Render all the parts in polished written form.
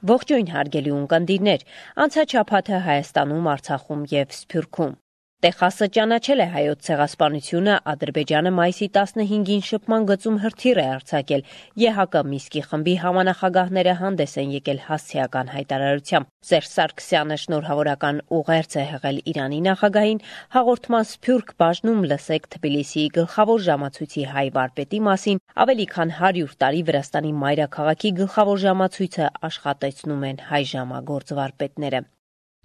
Ողջույն հարգելի ունկնդիրներ, անցած շաբաթը Հայաստանում, Արցախում եւ Սփյուռքում։ Տեխասը ճանաչել է հայոց ցեղասպանությունը, Ադրբեջանը մայիսի 15-ին շփման գծում հրթիռ է արձակել, ԵՀԿ Միսկի խմբի համանախագահները հանդես են եկել հասցեական հայտարարությամբ։ Սերժ Սարգսյանը շնորհավորական ուղերձ է հղել Իրանի նախագահին, հաղորդման Սփյուռք բաժնում լսեք Թբիլիսիի գլխավոր ժամացույցի հայ վարպետի մասին, ավելի քան 100 տարի Վրաստանի մայրաքաղաքի գլխավոր ժամացույցը աշխատեցնում են հայ ժամագործ վարպետները։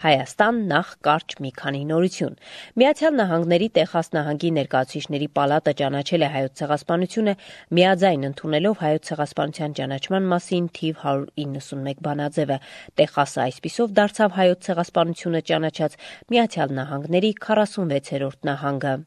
Հայաստան նախ կարճ մի քանի նորություն։ Միացյալ Նահանգների Տեխաս նահանգի ներկայացուցիչների պալատը ճանաչել է հայոց ցեղասպանությունը, միաձայն ընդունելով հայոց ցեղասպանության ճանաչման մասին թիվ 191 բանաձևը։ Տեխասը այսպիսով դարձավ հայոց ցեղասպանությունը ճանաչած Միացյալ Նահանգների 46-րդ նահանգը։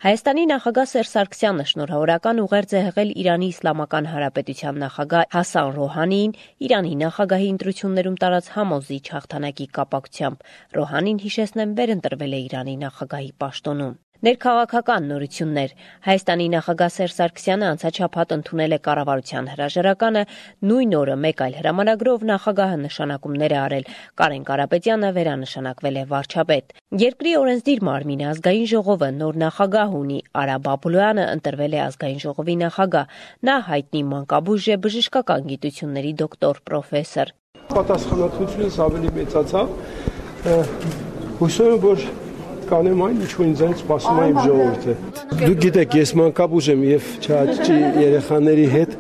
Հայաստանի նախագահ Սերժ Սարգսյանը շնորհավորական ուղերձ է հղել Իրանի Իսլամական Հանրապետության նախագահ Հասան Ռոհանիին Իրանի նախագահի ընտրություններում տարած համոզիչ հաղթանակի կապակցությամբ։ Ռոհանին, հիշեցնեմ, վերընտրվել է Իրանի նախագահի պաշտոնում։ Ներքաղաքական նորություններ։ Հայաստանի նախագահ Սերժ Սարգսյանը անցած շաբաթ ընդունել է կառավարության հրաժարականը, նույն օրը մեկ այլ հրամանագրով նախագահը նշանակումներ է արել։ Կարեն Կարապետյանը վերանշանակվել է վարչապետ։ Երկրի օրենսդիր մարմինը ազգային ժողովը նոր նախագահ ունի, Արա Բաբլոյանը ընտրվել է ազգային ժողովի նախագահ։ Նա հայտնի մանկաբույժ է, բժշկական գիտությունների դոկտոր, պրոֆեսոր։ Պատասխանատվությունս ավելի մեծացավ։ Հուսով եմ, որ կանեմ այն, ինչ որ ինձանից սպասում է իմ ժողովուրդը։ Դուք գիտեք, ես մանկաբույժ եմ եւ չաճի երեխաների հետ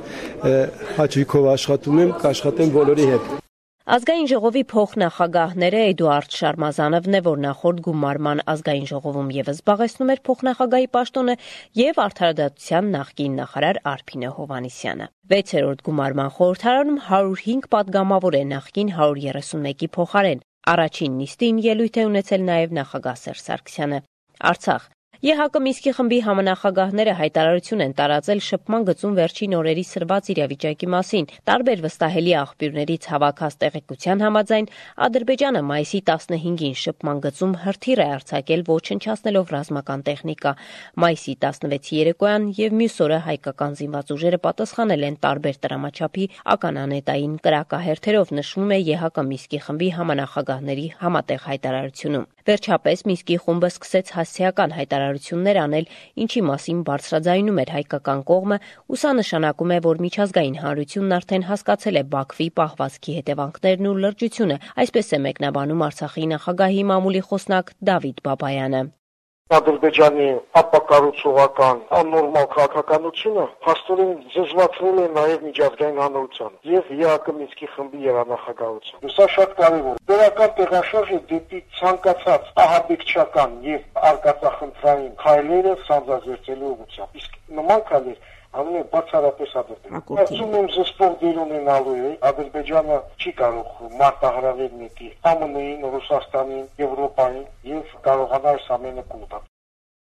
հաճույքով աշխատում եմ, կաշխատեմ բոլորի հետ։ Ազգային ժողովի փոխնախագահները Էդուարդ Շարմազանովն է, որ նախորդ գումարման ազգային ժողովում եւս զբաղեցնում էր փոխնախագահի պաշտոնը, եւ Արդարադատության նախկին նախարար Արփինե Հովհաննիսյանը։ 6-րդ գումարման խորհրդարանում 105 պատգամավոր է նախկին 131-ի փոխարեն։ Առաջին նիստին ելույթ է ունեցել նաև նախագահ Սերժ Սարգսյանը։ Արցախ։ ԵՀԿ Միսկի խմբի համանախագահները հայտարարություն են տարածել շփման գծում վերջին օրերի սրված իրավիճակի մասին։ Տարբեր վստահելի աղբյուրներից հավաքած տեղեկության համաձայն Ադրբեջանը մայիսի 15-ին շփման գծում հրթիռ է արձակել, ոչնչացնելով ռազմական տեխնիկա։ Մայիսի 16-ի երեկոյան եւ մյուս օրը հայկական զինված ուժերը պատասխանել են տարբեր տրամաչափի ականանետային կրակահերթերով, նշվում է ԵՀԿ Միսկի խմբի համանախագահների համատեղ հայտարարությունում։ Վերջապես Միսկի խումբը սկսեց հասցեական հայտարարություններ անել, ինչի մասին բարձրաձայնում էր հայկական կողմը, ու սա նշանակում է, որ միջազգային հանրությունն արդեն հասկացել է Բաքվի պահվածքի հետևանքներն ու լրջությունը, այսպես է մեկնաբանում Արցախի նախագահի մամուլի խոսնակ Դավիթ Բաբայանը։ Ադրբեջանի ապակառուցողական աննորմալ քաղաքականությունը փաստորեն զզվացրել է նաև միջազգային հանրությանը եւ ԵԱԿ Մինսկի խմբի երանախագահությունը։ Սա շատ կարևոր է։ Դրական տեղաշարժը դեպի ցանկացած ահաբեկչական եւ արկածախնդրային քայլերը սանձազերծելու ուղղությամբ։ Իսկ նման քայլեր ամեն բացառապես ադրբեջան։ Ասում եմ զսպող դեր ունենալու է, Ադրբեջանը չի կարող մարտահրավեր նետի ԱՄՆ-ին, Ռուսաստանին, Եվրոպային եւ կարողանա այս ամենը կուտալ։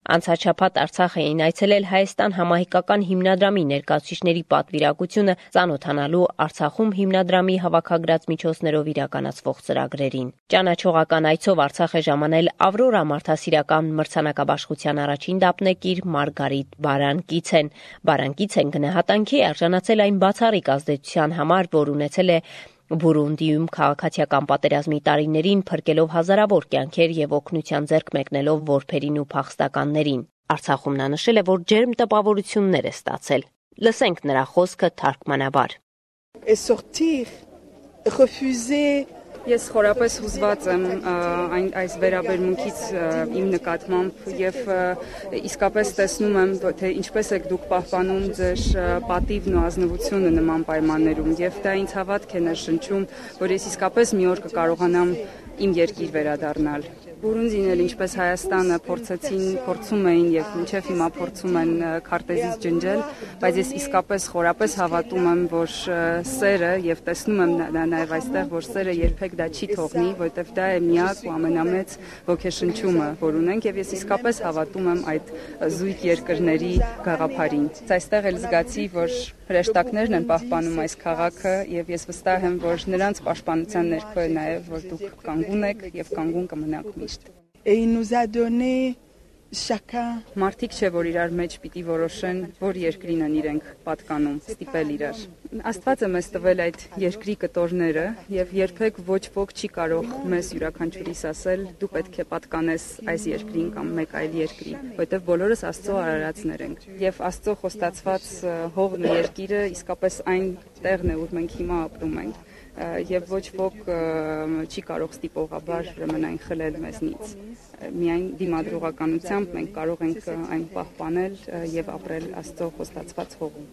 Անցած շաբաթ Արցախ էին այցելել Հայաստան համահայկական հիմնադրամի ներկայացուցիչների պատվիրակությունը ծանոթանալու Արցախում հիմնադրամի հավաքագրած միջոցներով իրականացվող ծրագրերին։ Ճանաչողական այցով Արցախ է ժամանել Ավրորա մարդասիրական մրցանակաբաշխության առաջին դափնեկիր Մարգարիտ Բարանկիցեն։ Բարանկիցեն գնահատանքի է արժանացել այն բացառիկ ազդեցության համար, որ ունեցել է Բուրունդիում քաղաքացիական պատերազմի տարիներին, փրկելով հազարավոր կյանքեր եւ օգնության ձեռք մեկնելով որբերին ու փախստականներին։ Արցախում նա նշել է, որ ջերմ տպավորություններ է ստացել։ Լսենք նրա խոսքը թարգմանաբար։ Ես խորապես հուզված եմ այս վերաբերմունքից իմ նկատմամբ եւ իսկապես տեսնում եմ, թե ինչպես եք դուք պահպանում ձեր պատիվն ու ազնվությունը նման պայմաններում եւ դա ինձ հավատք է ներշնչում, որ ես իսկապես մի օր կկարողանամ իմ երկիր վերադառնալ։ Բուրունդին էլ ինչպես Հայաստանը փորձում էին եւ մինչեւ հիմա փորձում են քարտեզից ջնջել, բայց ես իսկապես խորապես հավատում եմ, որ սերը եւ տեսնում եմ նաեւ այստեղ, որ սերը երբեք դա չի թողնի, որովհետեւ դա է միակ ու ամենամեծ ոգեշնչումը, որ ունենք եւ ես իսկապես հավատում եմ այդ զույգ երկրների գաղափարին։ Այստեղ էլ զգացի, որ հրեշտակներն են պահպանում այս քաղաքը եւ ես վստահ եմ, որ նրանց պաշտպանության ներքո է նաեւ, որ դուք կանգուն եք եւ կանգուն կմնաք միշտ։ Et il nous a donné Մարդիկ չէ, որ իրար մեջ պիտի որոշեն, որ երկրին են իրենք պատկանում, ստիպել իրար։ Աստված է մեզ տվել այդ երկրի կտորները եւ երբեք ոչ ոք չի կարող մեզ յուրաքանչյուրիս ասել դու պետք է պատկանես այս երկրին կամ մեկ այլ երկրի, որովհետեւ բոլորս Աստծո արարածներ ենք։ Եվ Աստծո խոստացված հողն ու երկիրը իսկապես այն տեղն է, ուր մենք հիմա ապրում ենք։ Եվ ոչ ոք չի կարող ստիպողաբար այն խլել մեզնից։ Միայն դիմադրողականությամբ մենք կարող ենք այն պահպանել եւ ապրել Աստծո խոստացված հողում։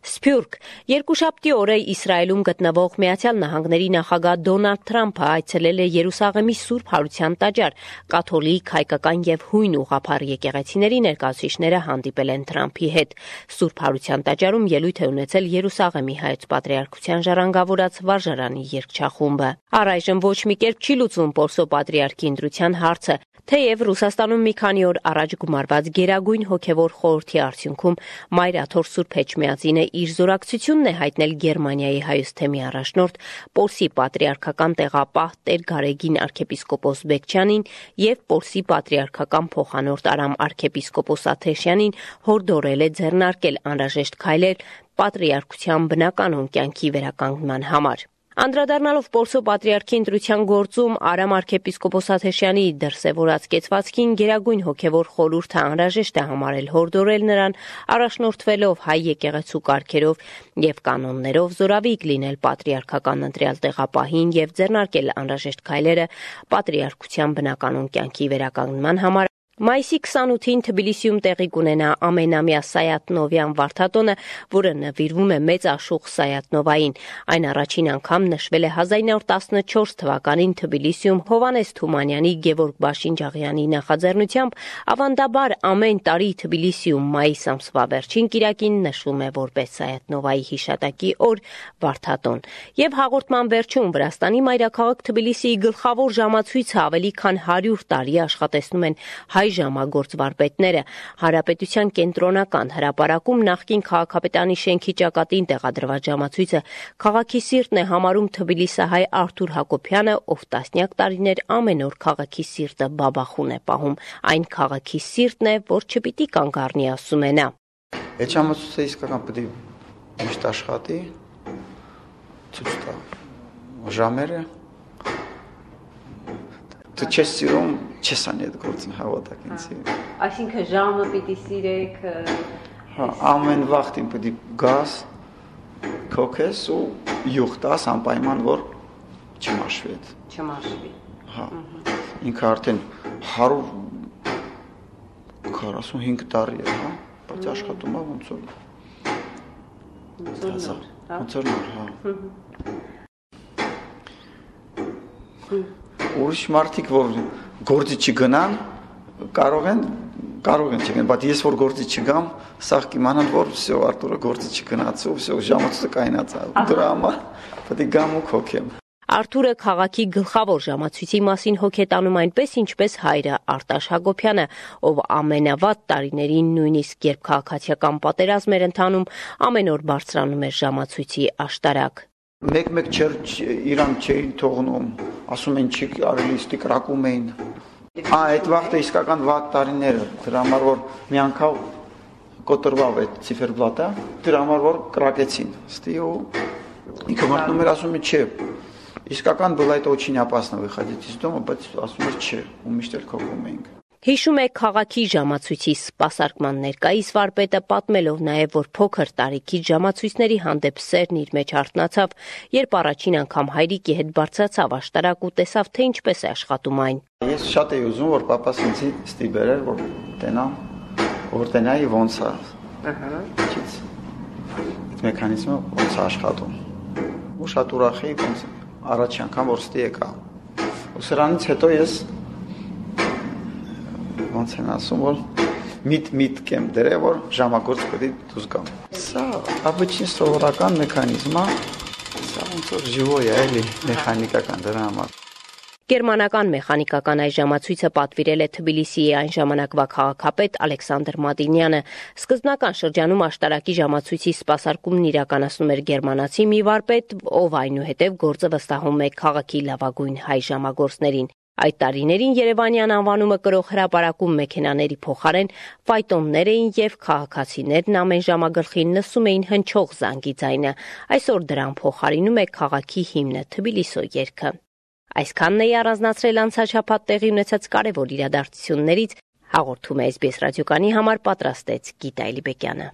Սփյուռք երկուշաբթի օրը Իսրայելում գտնվող Միացյալ Նահանգների նախագահ Դոնալդ Թրամփը այցելել է Երուսաղեմի Սուրբ Հարության տաճար։ Կաթոլիկ, հայկական եւ հույն ուղղափառ եկեղեցիների ներկայացուցիչները հանդիպել են Թրամփի հետ։ Սուրբ Հարության տաճարում ելույթ է ունեցել Երուսաղեմի հայոց պատրիարքության ժառանգավորած վարժարանի երգչախումբը։ Առայժմ ոչ մի կերպ չի լուծվում Պորսո պատրիարքի ընտրության հարցը, թեև Ռուսաստանում մի քանի օր առաջ գումարված Գերագույն հոգևոր խորհրդի արդյունքում Մայր Աթոր Սուրբ Էջմիածինը իր զորակցությունն է հայտնել Գերմանիայի հայոց թեմի առաջնորդ Պորսի պատրիարքական տեղապահ Տեր Գարեգին arczepiskopos Բեկչյանին եւ Պորսի պատրիարքական փոխանորդ Արամ arczepiskopos Աթեշյանին հորդորել է ձեռնարկել անհրաժեշտ քայլեր պատրիարքության բնականոն կյանքի վերականգնման համար։ Անդրադառնալով Պորսո պատրիարքի ընտրության գործում Արամ arczepiskopos Աթեշյանի դրսևորած կեցվածքին Գերագույն հոգևոր խորհուրդը անհրաժեշտ է համարել հորդորել նրան առաջնորդվելով հայ եկեղեցու կարգերով եւ կանոններով զորավիգ լինել պատրիարքական ընտրյալ տեղապահին եւ ձեռնարկել անհրաժեշտ քայլերը պատրիարքության բնականոն կյանքի վերականգնման համար։ Մայիսի 28-ին Թբիլիսիում տեղի կունենա ամենամյա Սայաթ-Նովյան վարդատոնը, որը նվիրվում է մեծ աշուղ Սայաթ-Նովային։ Այն առաջին անգամ նշվել է 1914 թվականին Թբիլիսիում Հովհաննես Թումանյանի, Գևորգ Բաշինջաղյանի նախաձեռնությամբ, ավանդաբար ամեն տարի Թբիլիսիում մայիս ամսվա վերջին կիրակին նշվում է որպես Սայաթ-Նովայի հիշատակի օր վարդատոն։ Եվ հաղորդման վերջում Վրաստանի մայրաքաղաք Թբիլիսիի գլխավոր ժամացույցը ավելի քան 100 տարի աշխատեցնում են հայ ժամագործ վարպետները։ Հանրապետության կենտրոնական հրապարակում նախկին քաղաքապետարանի շենքի ճակատին տեղադրված ժամացույցը քաղաքի սիրտն է համարում թբիլիսահայ Արթուր Հակոբյանը, ով տասնյակ տարիներ ամեն օր քաղաքի սիրտը բաբախուն է պահում։ Այն քաղաքի սիրտն է, որ չպիտի կանգ առնի, ասում է նա։ Այդ ժամացույցը իսկական պետք է միշտ աշխատի, ցույց տա ժամերը։ Դու չես սիրում, չես անի այդ գործը հավատակ ինձ։ Այսինքն ժամը պիտի սիրեք։ Հա, ամեն վաղտին պետք է գաս, քոքես ու յուղ տաս անպայման որ չմաշվի։ Չմաշվի։ Հա։ Ինքը արդեն 145 տարի է, հա, բայց աշխատում է ոնց որ։ Ոնց որ, հա։ Ուրիշ մարդիկ, որ գործի չգնան, կարող են չգնան, բայց ես որ գործի չգամ, սաղ կիմանան, որ վсё Արտուրը գործի չգնաց, ու վсё ժամացույցը կայնած է, դրա համար պետք է գամ ու քոքեմ։ Արթուրը քաղաքի գլխավոր ժամացույցի մասին հոգետանում այնպես, ինչպես հայրը Արտաշ Հակոբյանը, ով ամենավատ տարիներին նույնիսկ երբ քաղաքացիական պատերազմ էր ընթանում, ամեն օր բարձրանում էր ժամացույցի աշտարակ։ Մեկ իրան չէին թողնում, ասում են չի արելի ստիկրակում էին։ Այդ վաղտը իսկական վատ տարիները, դրա համար որ մի անգամ կոտրվավ այդ ցիֆերբլատը, դրա համար որ կրակեցին։ Ստի ու ինքը մտնում էր ասում է չէ։ Իսկական было это очень опасно выходить из дома, բայց ասում էր չէ, ու միշտ էլ քոքում էինք։ Հիշում է քաղաքի ժամացույցի սպասարկման ներկայիս վարպետը, պատմելով նաև, որ փոքր տարիքից ժամացույցների հանդեպ սերն իր մեջ արթնացավ, երբ առաջին անգամ հայրիկի հետ բարձրացավ աշտարակ ու տեսավ, թե ինչպես է աշխատում այն։ Ես շատ էի ուզում, որ papas ինձ ստիպեր, որ տենայի ոնց է։ Ահա։ Այդ մեխանիզմը ոնց է աշխատում։ Ու շատ ուրախ էի, ոնց առաջին անգամ որ ստի եկա։ Ու սրանից հետո ես ոնց են ասում, որ միտ կեմ դրե, որ ժամագործ պետք է դուրս գամ։ Սա обычный սովորական մեխանիզմ է, սա ոնց որ живой է, էլի մեխանիկական դրա համար։ Գերմանական մեխանիկական այս ժամացույցը պատվիրել է Թբիլիսիի այն ժամանակվա քաղաքապետ Ալեքսանդր Մադինյանը։ Սկզբնական շրջանում աշտարակի ժամացույցի սպասարկումն իրականացնում էր գերմանացի մի վարպետ, ով այնուհետև գործը վստահում է քաղաքի լավագույն հայ ժամագործներին։ Այդ տարիներին Երևանյան անվանումը կրող հրապարակում մեքենաների փոխարեն ֆայտոններ էին եւ քաղաքացիներն ամեն ժամագլխին լսում էին հնչող զանգի ձայնը։ Այսօր դրան փոխարինում է քաղաքի հիմնը Թբիլիսո երգը։ Այսքանն է առանձնացրել անցաշաբաթ տեղի ունեցած կարևոր իրադարձություններից, հաղորդում է SBS ռադիոկայանի համար պատրաստեց Գիտա Էլիբեկյանը։